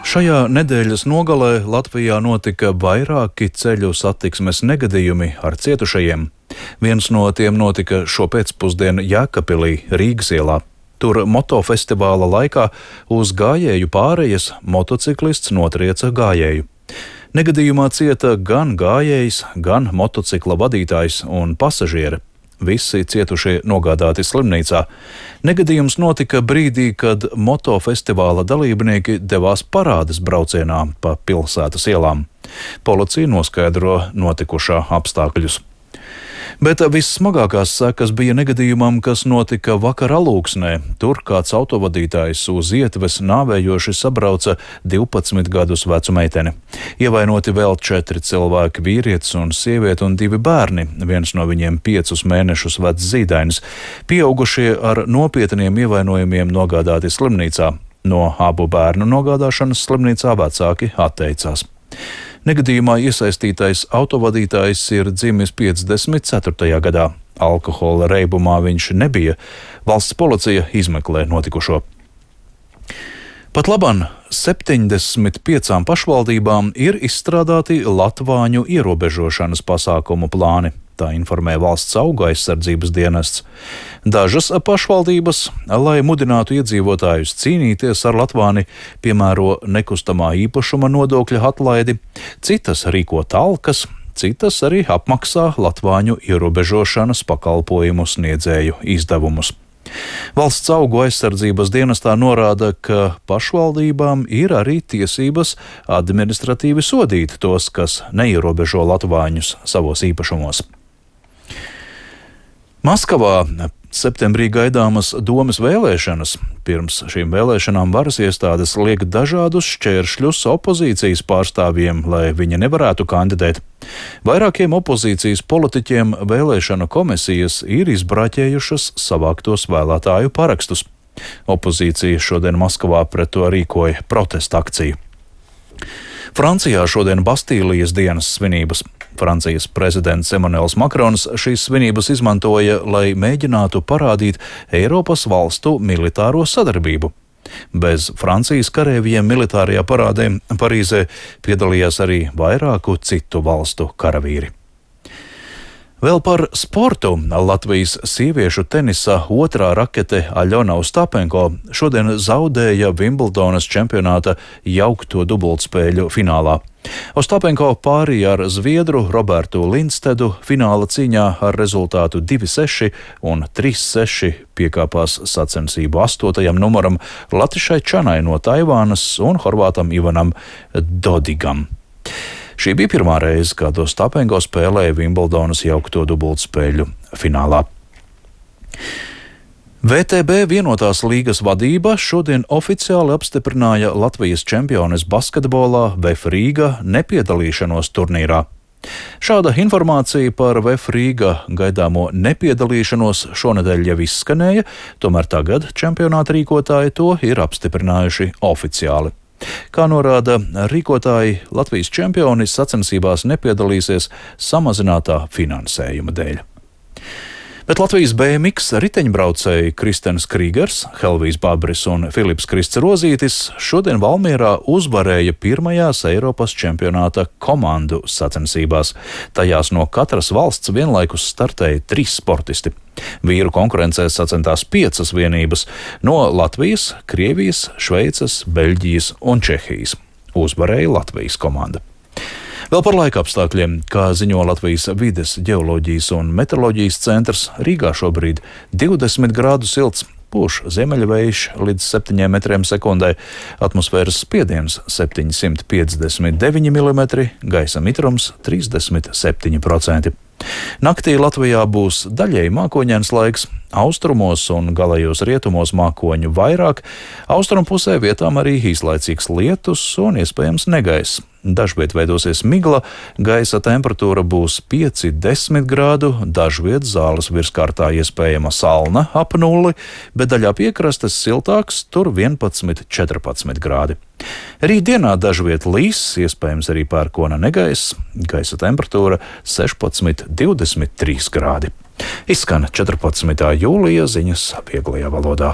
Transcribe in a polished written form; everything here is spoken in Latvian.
Šajā nedēļas nogalē Latvijā notika vairāki ceļu satiksmes negadījumi ar cietušajiem. Viens no tiem notika šo pēcpusdienu Jēkabpilī, Rīgas ielā. Tur motofestivāla laikā uz gājēju pārejas motociklists notrieca gājēju. Negadījumā cieta gan gājējs, gan motocikla vadītājs un pasažieri. Visi cietušie nogādāti slimnīcā. Negadījums notika brīdī, kad motofestivāla dalībnieki devās parādes braucienā pa pilsētas ielām. Policija noskaidro notikušā apstākļus. Bet vissmagākās sekas bija negadījumam, kas notika vakar Alūksnē. Tur kāds autovadītājs uz ietves nāvējoši sabrauca 12 gadus vecu meiteni. Ievainoti vēl 4 cilvēki, vīrietis un sieviete un 2 bērni, viens no viņiem 5 mēnešus vecs zīdainis. Pieaugušie ar nopietniem ievainojumiem nogādāti slimnīcā. No abu bērnu nogādāšanas slimnīcā vecāki atteicās. Negadījumā iesaistītais autovadītājs ir dzimis 54. gadā. Alkohola reibumā viņš nebija. Valsts policija izmeklē notikušo. Pat labam 75 pašvaldībām ir izstrādāti latvāņu ierobežošanas pasākumu plāni. Tā informē Valsts augu aizsardzības dienests. Dažas pašvaldības, lai mudinātu iedzīvotājus cīnīties ar latvāni, piemēro nekustamā īpašuma nodokļa atlaidi, citas rīko talkas, citas arī apmaksā latvāņu ierobežošanas pakalpojumu sniedzēju izdevumus. Valsts augu aizsardzības dienestā norāda, ka pašvaldībām ir arī tiesības administratīvi sodīt tos, kas neierobežo latvāņus savos īpašumos. Maskavā septembrī gaidāmas domes vēlēšanas. Pirms šīm vēlēšanām varas iestādes liek dažādus šķēršļus opozīcijas pārstāvjiem, lai viņi nevarētu kandidēt. Vairākiem opozīcijas politiķiem vēlēšanu komisijas ir izbraķējušas savāktos vēlētāju parakstus. Opozīcija šodien Maskavā pret to rīkoja protesta akciju. Francijā šodien Bastīlijas dienas svinības. Francijas prezidents Emanuels Makrons šīs svinības izmantoja, lai mēģinātu parādīt Eiropas valstu militāro sadarbību. Bez Francijas kareivjiem militārajā parādē Parīzē piedalījās arī vairāku citu valstu karavīri. Vēl par sportu. Latvijas sieviešu tenisa otrā rakete Aļona Ostapenko šodien zaudēja Vimbeldonas čempionāta jaukto dubultspēļu finālā. Ostapenko pārīja ar zviedru Robertu Lindstedu fināla cīņā ar rezultātu 2-6 un 3-6 piekāpās sacensību 8. numuram Latišai Čanai no Taivānas un horvātam Ivanam Dodigam. Šī bija pirmā reize, kad Ostapenko spēlēja Vimbeldonas jaukto dubultspēļu finālā. VTB vienotās līgas vadība šodien oficiāli apstiprināja Latvijas čempiones basketbolā VF Rīga nepiedalīšanos turnīrā. Šāda informācija par VF Rīga gaidāmo nepiedalīšanos šonedēļ jau izskanēja, tomēr tagad čempionāta rīkotāji to ir apstiprinājuši oficiāli. Kā norāda rīkotāji, Latvijas čempioni sacensībās nepiedalīsies samazinātā finansējuma dēļ. Bet Latvijas BMX riteņbraucēji Kristens Krīgers, Helvijs Babris un Filips Krists Rozītis šodien Valmierā uzvarēja pirmajās Eiropas čempionāta komandu sacensībās. Tajās no katras valsts vienlaikus startēja 3 sportisti. Vīru konkurencē sacentās 5 vienības no Latvijas, Krievijas, Šveices, Beļģijas un Čehijas. Uzvarēja Latvijas komanda. Vēl par laika apstākļiem, kā ziņo Latvijas vides, ģeoloģijas un meteoroloģijas centrs, Rīgā šobrīd 20 grādu silts, pūš ziemeļvējš līdz 7 metriem sekundē, atmosfēras spiediens 759 mm, gaisa mitrums 37%. Naktī Latvijā būs daļēji mākoņains laiks, austrumos un galējos rietumos mākoņu vairāk, austrumpusē vietām arī īslaicīgs lietus un iespējams negaiss. Dažviet veidosies migla, gaisa temperatūra būs 5–10 grādu, dažviet zāles virskārtā iespējama salna ap 0, bet daļā piekrastes siltāks, tur 11–14 grādi. Rītdienā dažviet līs, iespējams arī pērkona negaiss, gaisa temperatūra 16–23 grādi. Izskan 14. jūlija ziņas vieglajā valodā.